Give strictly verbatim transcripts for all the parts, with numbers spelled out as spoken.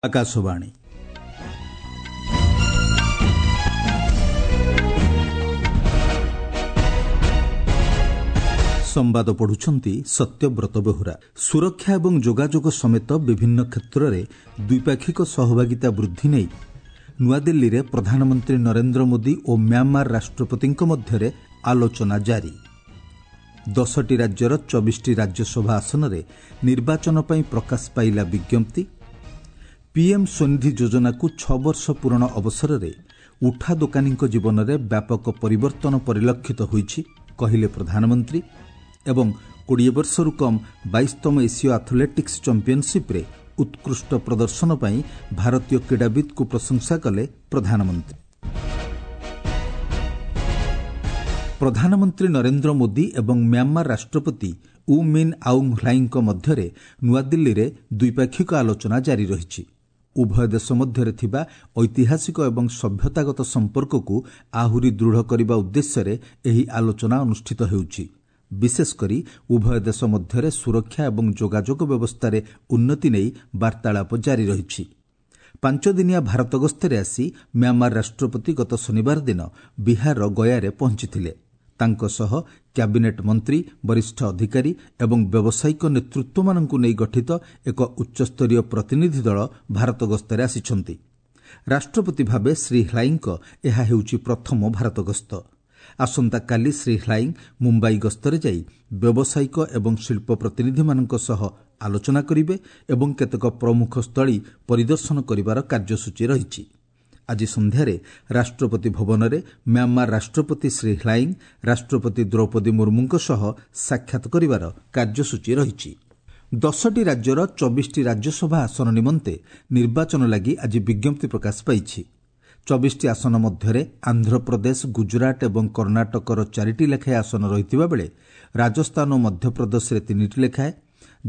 ଆକାଶବାଣୀ। ସମ୍ବାଦ ପଢୁଛନ୍ତି ସତ୍ୟବ୍ରତ ବେହୁରା। ସୁରକ୍ଷା ଏବଂ ଯୋଗାଯୋଗ ସମେତ ବିଭିନ୍ନ କ୍ଷେତ୍ରରେ ଦ୍ୱିପାକ୍ଷିକ ସହଭାଗିତା ବୃଦ୍ଧି ନେଇ ନୂଆଦିଲ୍ଲୀରେ ପ୍ରଧାନମନ୍ତ୍ରୀ ନରେନ୍ଦ୍ର ମୋଦି ଓ ମ୍ୟାଁମାର ରାଷ୍ଟ୍ରପତିଙ୍କ ମଧ୍ୟରେ ଆଲୋଚନା ଜାରି। ଦଶଟି ରାଜ୍ୟର ଚବିଶଟି ରାଜ୍ୟସଭା ଆସନରେ ନିର୍ବାଚନ ପାଇଁ ପ୍ରକାଶ ପାଇଲା ବିଜ୍ଞପ୍ତି। ପିଏମ୍ ସ୍ୱନିଧି ଯୋଜନାକୁ ଛଅ ବର୍ଷ ପୂରଣ ଅବସରରେ ଉଠା ଦୋକାନୀଙ୍କ ଜୀବନରେ ବ୍ୟାପକ ପରିବର୍ତ୍ତନ ପରିଲକ୍ଷିତ ହୋଇଛି, କହିଲେ ପ୍ରଧାନମନ୍ତ୍ରୀ। ଏବଂ କୋଡ଼ିଏ ବର୍ଷରୁ କମ୍ ବାଇଶତମ ଏସୀୟ ଆଥଲେଟିକ୍ସ ଚାମ୍ପିୟନସିପ୍ରେ ଉତ୍କୃଷ୍ଟ ପ୍ରଦର୍ଶନ ପାଇଁ ଭାରତୀୟ କ୍ରୀଡ଼ାବିତ୍ଙ୍କୁ ପ୍ରଶଂସା କଲେ ପ୍ରଧାନମନ୍ତ୍ରୀ। ପ୍ରଧାନମନ୍ତ୍ରୀ ନରେନ୍ଦ୍ର ମୋଦି ଏବଂ ମ୍ୟାଁମାର ରାଷ୍ଟ୍ରପତି ଉ ମିନ୍ ଆଉଙ୍ଗ୍ ହ୍ଲାଇଙ୍କ ମଧ୍ୟରେ ନୂଆଦିଲ୍ଲୀରେ ଦ୍ୱିପାକ୍ଷିକ ଆଲୋଚନା ଜାରି ରହିଛି। ଉଭୟ ଦେଶ ମଧ୍ୟରେ ଥିବା ଐତିହାସିକ ଏବଂ ସଭ୍ୟତାଗତ ସମ୍ପର୍କକୁ ଆହୁରି ଦୃଢ଼ କରିବା ଉଦ୍ଦେଶ୍ୟରେ ଏହି ଆଲୋଚନା ଅନୁଷ୍ଠିତ ହେଉଛି। ବିଶେଷକରି ଉଭୟ ଦେଶ ମଧ୍ୟରେ ସୁରକ୍ଷା ଏବଂ ଯୋଗାଯୋଗ ବ୍ୟବସ୍ଥାରେ ଉନ୍ନତି ନେଇ ବାର୍ତ୍ତାଳାପ ଜାରି ରହିଛି। ପାଞ୍ଚଦିନିଆ ଭାରତ ଗସ୍ତରେ ଆସି ମ୍ୟାଁମାର ରାଷ୍ଟ୍ରପତି ଗତ ଶନିବାର ଦିନ ବିହାରର ଗୟାରେ ପହଞ୍ଚିଥିଲେ। ତାଙ୍କ ସହ କ୍ୟାବିନେଟ୍ ମନ୍ତ୍ରୀ, ବରିଷ୍ଠ ଅଧିକାରୀ ଏବଂ ବ୍ୟବସାୟିକ ନେତୃତ୍ୱମାନଙ୍କୁ ନେଇ ଗଠିତ ଏକ ଉଚ୍ଚସ୍ତରୀୟ ପ୍ରତିନିଧି ଦଳ ଭାରତ ଗସ୍ତରେ ଆସିଛନ୍ତି। ରାଷ୍ଟ୍ରପତି ଭାବେ ଶ୍ରୀ ହ୍ଲାଇଙ୍କ ଏହା ହେଉଛି ପ୍ରଥମ ଭାରତ ଗସ୍ତ। ଆସନ୍ତାକାଲି ଶ୍ରୀ ହ୍ଲାଇଂ ମୁମ୍ବାଇ ଗସ୍ତରେ ଯାଇ ବ୍ୟବସାୟିକ ଏବଂ ଶିଳ୍ପ ପ୍ରତିନିଧିମାନଙ୍କ ସହ ଆଲୋଚନା କରିବେ ଏବଂ କେତେକ ପ୍ରମୁଖ ସ୍ଥଳୀ ପରିଦର୍ଶନ କରିବାର କାର୍ଯ୍ୟସୂଚୀ ରହିଛି। ଆଜି ସନ୍ଧ୍ୟାରେ ରାଷ୍ଟ୍ରପତି ଭବନରେ ମ୍ୟାଁମାର ରାଷ୍ଟ୍ରପତି ଶ୍ରୀ ହ୍ଲାଇଂ ରାଷ୍ଟ୍ରପତି ଦ୍ରୌପଦୀ ମୁର୍ମୁଙ୍କ ସହ ସାକ୍ଷାତ କରିବାର କାର୍ଯ୍ୟସୂଚୀ ରହିଛି। ଦଶଟି ରାଜ୍ୟର ଚବିଶଟି ରାଜ୍ୟସଭା ଆସନ ନିମନ୍ତେ ନିର୍ବାଚନ ଲାଗି ଆଜି ବିଜ୍ଞପ୍ତି ପ୍ରକାଶ ପାଇଛି। ଚବିଶଟି ଆସନ ମଧ୍ୟରେ ଆନ୍ଧ୍ରପ୍ରଦେଶ, ଗୁଜରାଟ ଏବଂ କର୍ଣ୍ଣାଟକର ଚାରିଟି ଲେଖାଏଁ ଆସନ ରହିଥିବା ବେଳେ ରାଜସ୍ଥାନ ଓ ମଧ୍ୟପ୍ରଦେଶରେ ତିନିଟି ଲେଖାଏଁ,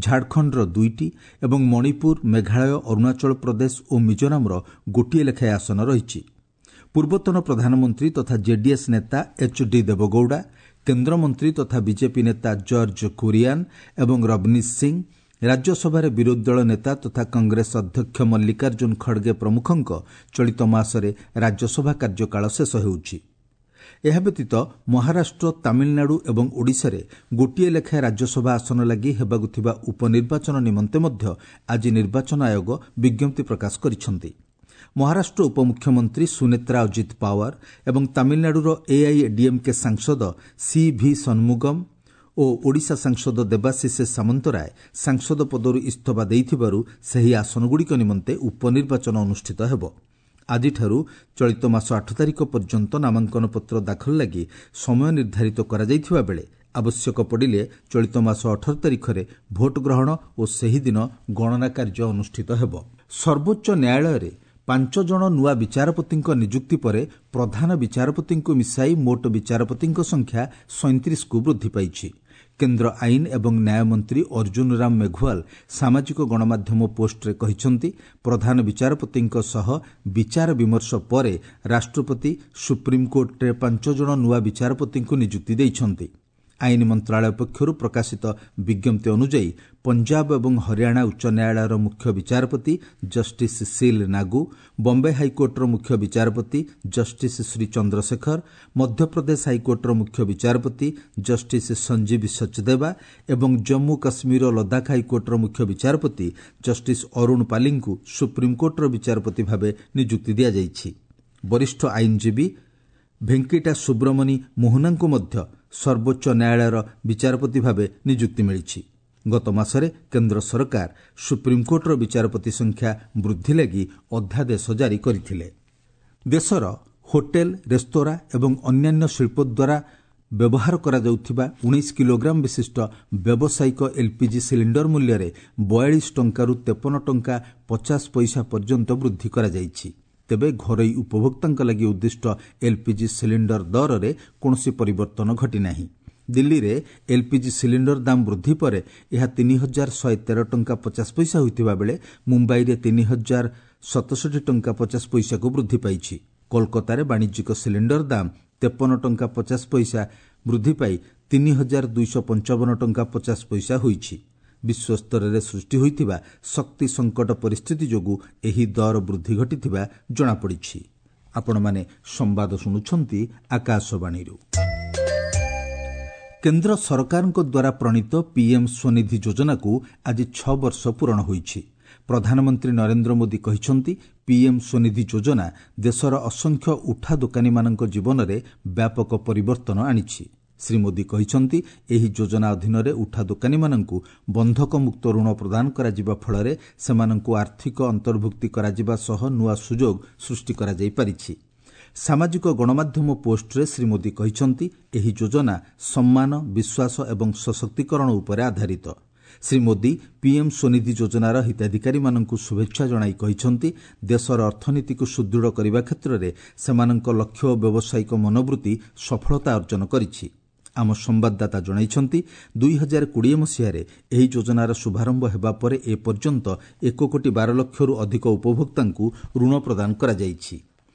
ଝାଡ଼ଖଣ୍ଡର ଦୁଇଟି ଏବଂ ମଣିପୁର, ମେଘାଳୟ, ଅରୁଣାଚଳ ପ୍ରଦେଶ ଓ ମିଜୋରାମର ଗୋଟିଏ ଲେଖାଏଁ ଆସନ ରହିଛି। ପୂର୍ବତନ ପ୍ରଧାନମନ୍ତ୍ରୀ ତଥା ଜେଡିଏସ୍ ନେତା ଏଚ୍ ଡି ଦେବଗୌଡ଼ା, କେନ୍ଦ୍ରମନ୍ତ୍ରୀ ତଥା ବିଜେପି ନେତା ଜର୍ଜ କୁରିଆନ୍ ଏବଂ ରବନୀଶ ସିଂ, ରାଜ୍ୟସଭାରେ ବିରୋଧୀ ଦଳ ନେତା ତଥା କଂଗ୍ରେସ ଅଧ୍ୟକ୍ଷ ମଲ୍ଲିକାର୍ଜୁନ ଖଡ଼ଗେ ପ୍ରମୁଖଙ୍କ ଚଳିତ ମାସରେ ରାଜ୍ୟସଭା କାର୍ଯ୍ୟକାଳ ଶେଷ ହେଉଛି। ଏହା ବ୍ୟତୀତ ମହାରାଷ୍ଟ୍ର, ତାମିଲନାଡୁ ଏବଂ ଓଡ଼ିଶାରେ ଗୋଟିଏ ଲେଖାଏଁ ରାଜ୍ୟସଭା ଆସନ ଲାଗି ହେବାକୁ ଥିବା ଉପନିର୍ବାଚନ ନିମନ୍ତେ ମଧ୍ୟ ଆଜି ନିର୍ବାଚନ ଆୟୋଗ ବିଜ୍ଞପ୍ତି ପ୍ରକାଶ କରିଛନ୍ତି। ମହାରାଷ୍ଟ୍ର ଉପମୁଖ୍ୟମନ୍ତ୍ରୀ ସୁନେତ୍ରା ଅଜିତ ପାୱାର ଏବଂ ତାମିଲନାଡୁର ଏଆଇଏଡିଏମ୍କେ ସାଂସଦ ସି ଭି ସନ୍ମୁଗମ୍ ଓ ଓଡ଼ିଶା ସାଂସଦ ଦେବାଶିଷ ସାମନ୍ତରାୟ ସାଂସଦ ପଦରୁ ଇସ୍ତଫା ଦେଇଥିବାରୁ ସେହି ଆସନଗୁଡ଼ିକ ନିମନ୍ତେ ଉପନିର୍ବାଚନ ଅନୁଷ୍ଠିତ ହେବ। ଆଜିଠାରୁ ଚଳିତ ମାସ ଆଠ ତାରିଖ ପର୍ଯ୍ୟନ୍ତ ନାମାଙ୍କନପତ୍ର ଦାଖଲ ଲାଗି ସମୟ ନିର୍ଦ୍ଧାରିତ କରାଯାଇଥିବା ବେଳେ ଆବଶ୍ୟକ ପଡ଼ିଲେ ଚଳିତ ମାସ ଅଠର ତାରିଖରେ ଭୋଟ ଗ୍ରହଣ ଓ ସେହିଦିନ ଗଣନା କାର୍ଯ୍ୟ ଅନୁଷ୍ଠିତ ହେବ। ସର୍ବୋଚ୍ଚ ନ୍ୟାୟାଳୟରେ ପାଞ୍ଚ ଜଣ ନୂଆ ବିଚାରପତିଙ୍କ ନିଯୁକ୍ତି ପରେ ପ୍ରଧାନ ବିଚାରପତିଙ୍କୁ ମିଶାଇ ମୋଟ ବିଚାରପତିଙ୍କ ସଂଖ୍ୟା ସଇଁତିରିଶକୁ ବୃଦ୍ଧି ପାଇଛି। କେନ୍ଦ୍ର ଆଇନ ଏବଂ ନ୍ୟାୟ ମନ୍ତ୍ରୀ ଅର୍ଜୁନ ରାମ ମେଘୱାଲ ସାମାଜିକ ଗଣମାଧ୍ୟମ ପୋଷ୍ଟରେ କହିଛନ୍ତି, ପ୍ରଧାନ ବିଚାରପତିଙ୍କ ସହ ବିଚାର ବିମର୍ଶ ପରେ ରାଷ୍ଟ୍ରପତି ସୁପ୍ରିମକୋର୍ଟରେ ପାଞ୍ଚ ଜଣ ନୂଆ ବିଚାରପତିଙ୍କୁ ନିଯୁକ୍ତି ଦେଇଛନ୍ତି। ଆଇନ ମନ୍ତ୍ରଣାଳୟ ପକ୍ଷରୁ ପ୍ରକାଶିତ ବିଜ୍ଞପ୍ତି ଅନୁଯାୟୀ ପଞ୍ଜାବ ଏବଂ ହରିୟାଣା ଉଚ୍ଚ ନ୍ୟାୟାଳୟର ମୁଖ୍ୟ ବିଚାରପତି ଜଷ୍ଟିସ୍ ସିଲ୍ ନାଗୁ, ବମ୍ବେ ହାଇକୋର୍ଟର ମୁଖ୍ୟ ବିଚାରପତି ଜଷ୍ଟିସ୍ ଶ୍ରୀ ଚନ୍ଦ୍ରଶେଖର, ମଧ୍ୟପ୍ରଦେଶ ହାଇକୋର୍ଟର ମୁଖ୍ୟ ବିଚାରପତି ଜଷ୍ଟିସ୍ ସଞ୍ଜୀବ ସଚଦେବା ଏବଂ ଜମ୍ମୁ କାଶ୍ମୀର ଓ ଲଦାଖ ହାଇକୋର୍ଟର ମୁଖ୍ୟ ବିଚାରପତି ଜଷ୍ଟିସ୍ ଅରୁଣ ପାଲିଙ୍କୁ ସୁପ୍ରିମକୋର୍ଟର ବିଚାରପତି ଭାବେ ନିଯୁକ୍ତି ଦିଆଯାଇଛି। ବରିଷ୍ଠ ଆଇନଜୀବୀ ଭେଙ୍କିଟା ସୁବ୍ରମଣୀ ମୋହନାଙ୍କୁ ମଧ୍ୟ ସର୍ବୋଚ୍ଚ ନ୍ୟାୟାଳୟର ବିଚାରପତି ଭାବେ ନିଯୁକ୍ତି ମିଳିଛି। ଗତ ମାସରେ କେନ୍ଦ୍ର ସରକାର ସୁପ୍ରିମକୋର୍ଟର ବିଚାରପତି ସଂଖ୍ୟା ବୃଦ୍ଧି ଲାଗି ଅଧ୍ୟାଦେଶ ଜାରି କରିଥିଲେ। ଦେଶର ହୋଟେଲ, ରେସ୍ତୋରାଁ ଏବଂ ଅନ୍ୟାନ୍ୟ ଶିଳ୍ପ ଦ୍ୱାରା ବ୍ୟବହାର କରାଯାଉଥିବା ଉଣେଇଶ କିଲୋଗ୍ରାମ ବିଶିଷ୍ଟ ବ୍ୟବସାୟିକ ଏଲ୍ପିଜି ସିଲିଣ୍ଡର ମୂଲ୍ୟରେ ବୟାଳିଶ ଟଙ୍କାରୁ ତେପନ ଟଙ୍କା ପଚାଶ ପଇସା ପର୍ଯ୍ୟନ୍ତ ବୃଦ୍ଧି କରାଯାଇଛି। ତେବେ ଘରୋଇ ଉପଭୋକ୍ତାଙ୍କ ଲାଗି ଉଦ୍ଦିଷ୍ଟ ଏଲ୍ପିଜି ସିଲିଣ୍ଡର ଦରରେ କୌଣସି ପରିବର୍ତ୍ତନ ଘଟିନାହିଁ। ଦିଲ୍ଲୀରେ ଏଲ୍ପିଜି ସିଲିଣ୍ଡର ଦାମ ବୃଦ୍ଧି ପରେ ଏହା ତିନି ହଜାର ଶହେ ତେର ଟଙ୍କା ପଚାଶ ପଇସା ହୋଇଥିବା ବେଳେ ମୁମ୍ବାଇରେ ତିନି ହଜାର ସତଷଠି ଟଙ୍କା ପଚାଶ ପଇସାକୁ ବୃଦ୍ଧି ପାଇଛି। କୋଲକାତାରେ ବାଣିଜ୍ୟିକ ସିଲିଣ୍ଡର ଦାମ ତେପନ ଟଙ୍କା ପଚାଶ ପଇସା ବୃଦ୍ଧି ପାଇ ତିନି ହଜାର ଦୁଇଶହ ପଞ୍ଚାବନ ଟଙ୍କା ପଚାଶ ପଇସା ହୋଇଛି। ବିଶ୍ୱସ୍ତରରେ ସୃଷ୍ଟି ହୋଇଥିବା ଶକ୍ତି ସଙ୍କଟ ପରିସ୍ଥିତି ଯୋଗୁଁ ଏହି ଦର ବୃଦ୍ଧି ଘଟିଥିବା ଜଣାପଡ଼ିଛି। ଆପଣମାନେ ସମ୍ବାଦ ଶୁଣୁଛନ୍ତି ଆକାଶବାଣୀରୁ। କେନ୍ଦ୍ର ସରକାରଙ୍କ ଦ୍ୱାରା ପ୍ରଣୀତ ପିଏମ୍ ସ୍ୱନିଧି ଯୋଜନାକୁ ଆଜି ଛଅ ବର୍ଷ ପୂରଣ ହୋଇଛି। ପ୍ରଧାନମନ୍ତ୍ରୀ ନରେନ୍ଦ୍ର ମୋଦି କହିଛନ୍ତି, ପିଏମ୍ ସ୍ୱନିଧି ଯୋଜନା ଦେଶର ଅସଂଖ୍ୟ ଉଠା ଦୋକାନୀମାନଙ୍କ ଜୀବନରେ ବ୍ୟାପକ ପରିବର୍ତ୍ତନ ଆଣିଛି। ଶ୍ରୀ ମୋଦି କହିଛନ୍ତି, ଏହି ଯୋଜନା ଅଧୀନରେ ଉଠା ଦୋକାନୀମାନଙ୍କୁ ବନ୍ଧକମୁକ୍ତ ଋଣ ପ୍ରଦାନ କରାଯିବା ଫଳରେ ସେମାନଙ୍କୁ ଆର୍ଥିକ ଅନ୍ତର୍ଭୁକ୍ତି କରାଯିବା ସହ ନୂଆ ସୁଯୋଗ ସୃଷ୍ଟି କରାଯାଇପାରିଛି। ସାମାଜିକ ଗଣମାଧ୍ୟମ ପୋଷ୍ଟରେ ଶ୍ରୀ ମୋଦି କହିଛନ୍ତି, ଏହି ଯୋଜନା ସମ୍ମାନ, ବିଶ୍ୱାସ ଏବଂ ସଶକ୍ତିକରଣ ଉପରେ ଆଧାରିତ। ଶ୍ରୀ ମୋଦି ପିଏମ୍ ସ୍ୱନିଧି ଯୋଜନାର ହିତାଧିକାରୀମାନଙ୍କୁ ଶୁଭେଚ୍ଛା ଜଣାଇ କହିଛନ୍ତି, ଦେଶର ଅର୍ଥନୀତିକୁ ସୁଦୃଢ଼ କରିବା କ୍ଷେତ୍ରରେ ସେମାନଙ୍କ ଲକ୍ଷ୍ୟ ଓ ବ୍ୟବସାୟିକ ମନୋବୃତ୍ତି ସଫଳତା ଅର୍ଜନ କରିଛି। ଆମ ସମ୍ବାଦଦାତା ଜଣାଇଛନ୍ତି, ଦୁଇ ହଜାର କୋଡ଼ିଏ ମସିହାରେ ଏହି ଯୋଜନାର ଶୁଭାରମ୍ଭ ହେବା ପରେ ଏପର୍ଯ୍ୟନ୍ତ ଏକ କୋଟି ବାର ଲକ୍ଷରୁ ଅଧିକ ଉପଭୋକ୍ତାଙ୍କୁ ଋଣ ପ୍ରଦାନ କରାଯାଇଛି।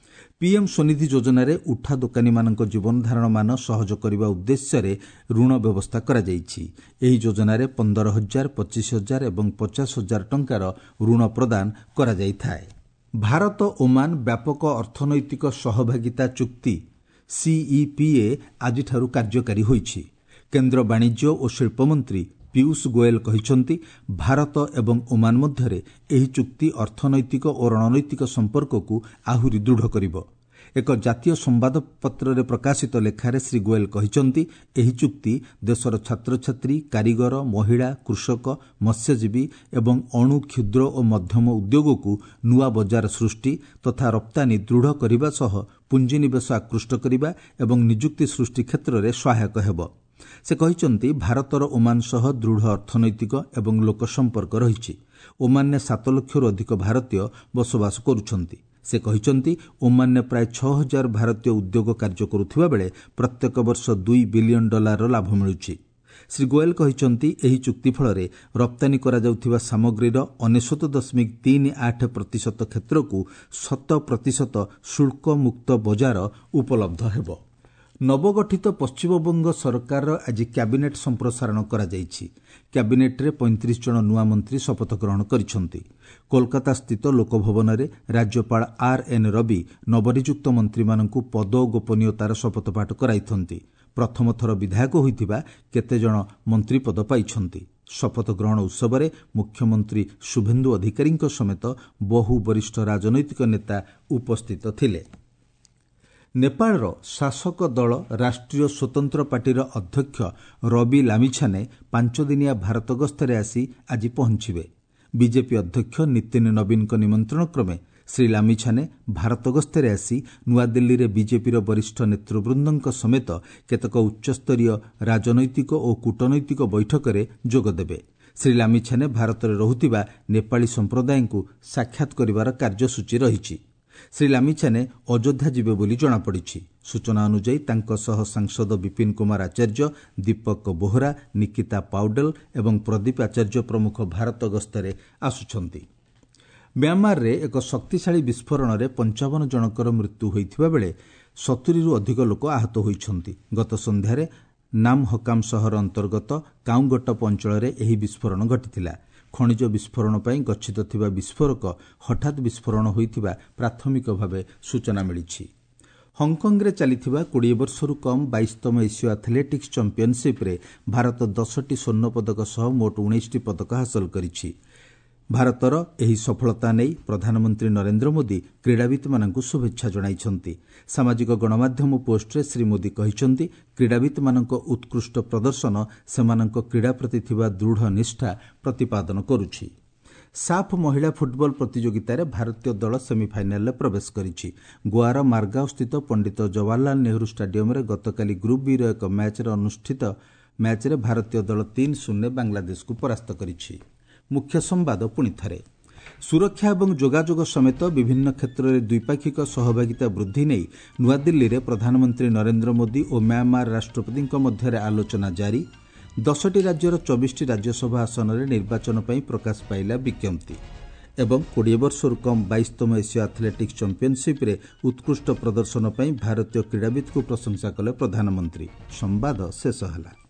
ପିଏମ୍ ସ୍ୱନିଧି ଯୋଜନାରେ ଉଠା ଦୋକାନୀମାନଙ୍କ ଜୀବନଧାରଣ ମାନ ସହଜ କରିବା ଉଦ୍ଦେଶ୍ୟରେ ଋଣ ବ୍ୟବସ୍ଥା କରାଯାଇଛି। ଏହି ଯୋଜନାରେ ପନ୍ଦର ହଜାର, ପଚିଶ ହଜାର ଏବଂ ପଚାଶ ହଜାର ଟଙ୍କାର ଋଣ ପ୍ରଦାନ କରାଯାଇଥାଏ। ଭାରତ ଓମାନ ବ୍ୟାପକ ଅର୍ଥନୈତିକ ସହଭାଗିତା ଚୁକ୍ତି ସିଇପିଏ ଆଜିଠାରୁ କାର୍ଯ୍ୟକାରୀ ହୋଇଛି। କେନ୍ଦ୍ର ବାଣିଜ୍ୟ ଓ ଶିଳ୍ପମନ୍ତ୍ରୀ ପୀୟୁଷ ଗୋଏଲ କହିଛନ୍ତି, ଭାରତ ଏବଂ ଓମାନ ମଧ୍ୟରେ ଏହି ଚୁକ୍ତି ଅର୍ଥନୈତିକ ଓ ରଣନୈତିକ ସମ୍ପର୍କକୁ ଆହୁରି ଦୃଢ଼ କରିବ। ଏକ ଜାତୀୟ ସମ୍ବାଦପତ୍ରରେ ପ୍ରକାଶିତ ଲେଖାରେ ଶ୍ରୀ ଗୋଏଲ କହିଛନ୍ତି, ଏହି ଚୁକ୍ତି ଦେଶର ଛାତ୍ରଛାତ୍ରୀ, କାରିଗର, ମହିଳା, କୃଷକ, ମତ୍ସ୍ୟଜୀବୀ ଏବଂ ଅଣୁ, କ୍ଷୁଦ୍ର ଓ ମଧ୍ୟମ ଉଦ୍ୟୋଗକୁ ନୂଆ ବଜାର ସୃଷ୍ଟି ତଥା ରପ୍ତାନୀ ଦୃଢ଼ କରିବା ସହ ପୁଞ୍ଜିନିବେଶ ଆକୃଷ୍ଟ କରିବା ଏବଂ ନିଯୁକ୍ତି ସୃଷ୍ଟି କ୍ଷେତ୍ରରେ ସହାୟକ ହେବ। ସେ କହିଛନ୍ତି, ଭାରତର ଓମାନ ସହ ଦୃଢ଼ ଅର୍ଥନୈତିକ ଏବଂ ଲୋକ ସମ୍ପର୍କ ରହିଛି। ଓମାନରେ ସାତ ଲକ୍ଷରୁ ଅଧିକ ଭାରତୀୟ ବସବାସ କରୁଛନ୍ତି। ସେ କହିଛନ୍ତି, ଓମାନରେ ପ୍ରାୟ ଛଅ ହଜାର ଭାରତୀୟ ଉଦ୍ୟୋଗ କାର୍ଯ୍ୟ କରୁଥିବା ବେଳେ ପ୍ରତ୍ୟେକ ବର୍ଷ ଦୁଇ ବିଲିୟନ ଡଲାରର ଲାଭ ମିଳୁଛି। ଶ୍ରୀ ଗୋଏଲ କହିଛନ୍ତି, ଏହି ଚୁକ୍ତି ଫଳରେ ରପ୍ତାନୀ କରାଯାଉଥିବା ସାମଗ୍ରୀର ଅନେଶ୍ୱତ ଦଶମିକ ତିନି ଆଠ ପ୍ରତିଶତ କ୍ଷେତ୍ରକୁ ଶତ ପ୍ରତିଶତ ଶୁଳ୍କମୁକ୍ତ ବଜାର ଉପଲବ୍ଧ ହେବ। ନବଗଠିତ ପଶ୍ଚିମବଙ୍ଗ ସରକାରର ଆଜି କ୍ୟାବିନେଟ୍ ସମ୍ପ୍ରସାରଣ କରାଯାଇଛି। କ୍ୟାବିନେଟ୍ରେ ପଇଁତିରିଶ ଜଣ ନୂଆ ମନ୍ତ୍ରୀ ଶପଥ ଗ୍ରହଣ କରିଛନ୍ତି। କୋଲକାତାସ୍ଥିତ ଲୋକଭବନରେ ରାଜ୍ୟପାଳ ଆର୍ ଏନ୍ ରବି ନବନିଯୁକ୍ତ ମନ୍ତ୍ରୀମାନଙ୍କୁ ପଦ ଓ ଗୋପନୀୟତାର ଶପଥପାଠ କରାଇଛନ୍ତି। ପ୍ରଥମ ଥର ବିଧାୟକ ହୋଇଥିବା କେତେଜଣ ମନ୍ତ୍ରୀପଦ ପାଇଛନ୍ତି। ଶପଥ ଗ୍ରହଣ ଉତ୍ସବରେ ମୁଖ୍ୟମନ୍ତ୍ରୀ ଶୁଭେନ୍ଦୁ ଅଧିକାରୀଙ୍କ ସମେତ ବହୁ ବରିଷ୍ଠ ରାଜନୈତିକ ନେତା ଉପସ୍ଥିତ ଥିଲେ। ନେପାଳର ଶାସକ ଦଳ ରାଷ୍ଟ୍ରୀୟ ସ୍ୱତନ୍ତ୍ର ପାର୍ଟିର ଅଧ୍ୟକ୍ଷ ରବି ଲାମିଛାନେ ପାଞ୍ଚଦିନିଆ ଭାରତ ଗସ୍ତରେ ଆସି ଆଜି ପହଞ୍ଚିବେ। ବିଜେପି ଅଧ୍ୟକ୍ଷ ନୀତିନ ନବୀନଙ୍କ ନିମନ୍ତ୍ରଣ କ୍ରମେ ଶ୍ରୀ ଲାମିଛାନେ ଭାରତ ଗସ୍ତରେ ଆସି ନୂଆଦିଲ୍ଲୀରେ ବିଜେପିର ବରିଷ୍ଠ ନେତୃବୃନ୍ଦଙ୍କ ସମେତ କେତେକ ଉଚ୍ଚସ୍ତରୀୟ ରାଜନୈତିକ ଓ କୂଟନୈତିକ ବୈଠକରେ ଯୋଗଦେବେ। ଶ୍ରୀ ଲାମିଛାନେ ଭାରତରେ ରହୁଥିବା ନେପାଳୀ ସମ୍ପ୍ରଦାୟଙ୍କୁ ସାକ୍ଷାତ କରିବାର କାର୍ଯ୍ୟସୂଚୀ ରହିଛି। ଶ୍ରୀ ଲାମିଛାନେ ଅଯୋଧ୍ୟା ଯିବେ ବୋଲି ଜଣାପଡ଼ିଛି। ସୂଚନା ଅନୁଯାୟୀ ତାଙ୍କ ସହ ସାଂସଦ ବିପିନ କୁମାର ଆଚାର୍ଯ୍ୟ, ଦୀପକ ବୋହରା, ନିକିତା ପାଉଡେଲ ଏବଂ ପ୍ରଦୀପ ଆଚାର୍ଯ୍ୟ ପ୍ରମୁଖ ଭାରତ ଗସ୍ତରେ ଆସୁଛନ୍ତି। ମ୍ୟାଁମାରରେ ଏକ ଶକ୍ତିଶାଳୀ ବିସ୍ଫୋରଣରେ ପଞ୍ଚାବନ ଜଣଙ୍କର ମୃତ୍ୟୁ ହୋଇଥିବା ବେଳେ ସତୁରିରୁ ଅଧିକ ଲୋକ ଆହତ ହୋଇଛନ୍ତି। ଗତ ସନ୍ଧ୍ୟାରେ ନାମହକାମ ସହର ଅନ୍ତର୍ଗତ କାଉଙ୍ଗଟପ ଅଞ୍ଚଳରେ ଏହି ବିସ୍ଫୋରଣ ଘଟିଥିଲା। ଖଣିଜ ବିସ୍ଫୋରଣ ପାଇଁ ଗଚ୍ଛିତ ଥିବା ବିସ୍ଫୋରକ ହଠାତ୍ ବିସ୍ଫୋରଣ ହୋଇଥିବା ପ୍ରାଥମିକ ଭାବେ ସୂଚନା ମିଳିଛି। ହଂକଂରେ ଚାଲିଥିବା କୋଡ଼ିଏ ବର୍ଷରୁ କମ୍ ବାଇଶତମ ଏସୀୟ ଆଥଲେଟିକ୍ସ ଚାମ୍ପିୟନସିପ୍ରେ ଭାରତ ଦଶଟି ସ୍ୱର୍ଣ୍ଣ ପଦକ ସହ ମୋଟ ଉଣେଇଶଟି ପଦକ ହାସଲ କରିଛି। ଭାରତର ଏହି ସଫଳତା ନେଇ ପ୍ରଧାନମନ୍ତ୍ରୀ ନରେନ୍ଦ୍ର ମୋଦି କ୍ରୀଡ଼ାବିତ୍ମାନଙ୍କୁ ଶୁଭେଚ୍ଛା ଜଣାଇଛନ୍ତି। ସାମାଜିକ ଗଣମାଧ୍ୟମ ପୋଷ୍ଟରେ ଶ୍ରୀ ମୋଦି କହିଛନ୍ତି, କ୍ରୀଡ଼ାବିତ୍ମାନଙ୍କ ଉତ୍କୃଷ୍ଟ ପ୍ରଦର୍ଶନ ସେମାନଙ୍କ କ୍ରୀଡ଼ା ପ୍ରତି ଥିବା ଦୃଢ଼ ନିଷ୍ଠା ପ୍ରତିପାଦନ କରୁଛି। ସାଫ୍ ମହିଳା ଫୁଟବଲ ପ୍ରତିଯୋଗିତାରେ ଭାରତୀୟ ଦଳ ସେମିଫାଇନାଲରେ ପ୍ରବେଶ କରିଛି। ଗୋଆର ମାର୍ଗାଓସ୍ଥିତ ପଣ୍ଡିତ ଜବାହରଲାଲ ନେହେରୁ ଷ୍ଟାଡିୟମରେ ଗତକାଲି ଗ୍ରୁପ୍ ବିର ଏକ ମ୍ୟାଚ୍ରେ ଅନୁଷ୍ଠିତ ମ୍ୟାଚ୍ରେ ଭାରତୀୟ ଦଳ ତିନି ଶୂନ୍ୟ ବାଂଲାଦେଶକୁ ପରାସ୍ତ କରିଛି। ମୁଖ୍ୟ ସମ୍ବାଦ ପୁଣି ଥରେ। ସୁରକ୍ଷା ଏବଂ ଯୋଗାଯୋଗ ସମେତ ବିଭିନ୍ନ କ୍ଷେତ୍ରରେ ଦ୍ୱିପାକ୍ଷିକ ସହଭାଗିତା ବୃଦ୍ଧି ନେଇ ନୂଆଦିଲ୍ଲୀରେ ପ୍ରଧାନମନ୍ତ୍ରୀ ନରେନ୍ଦ୍ର ମୋଦି ଓ ମ୍ୟାଁମାର ରାଷ୍ଟ୍ରପତିଙ୍କ ମଧ୍ୟରେ ଆଲୋଚନା ଜାରି। ଦଶଟି ରାଜ୍ୟର ଚବିଶଟି ରାଜ୍ୟସଭା ଆସନରେ ନିର୍ବାଚନ ପାଇଁ ପ୍ରକାଶ ପାଇଲା ବିଜ୍ଞପ୍ତି। ଏବଂ କୋଡ଼ିଏ ବର୍ଷରୁ କମ୍ ବାଇଶତମ ଏସୀୟ ଆଥଲେଟିକ୍ସ ଚାମ୍ପିୟନସିପ୍ରେ ଉତ୍କୃଷ୍ଟ ପ୍ରଦର୍ଶନ ପାଇଁ ଭାରତୀୟ କ୍ରୀଡ଼ାବିତ୍ଙ୍କୁ ପ୍ରଶଂସା କଲେ ପ୍ରଧାନମନ୍ତ୍ରୀ। ସମ୍ବାଦ ଶେଷ ହେଲା।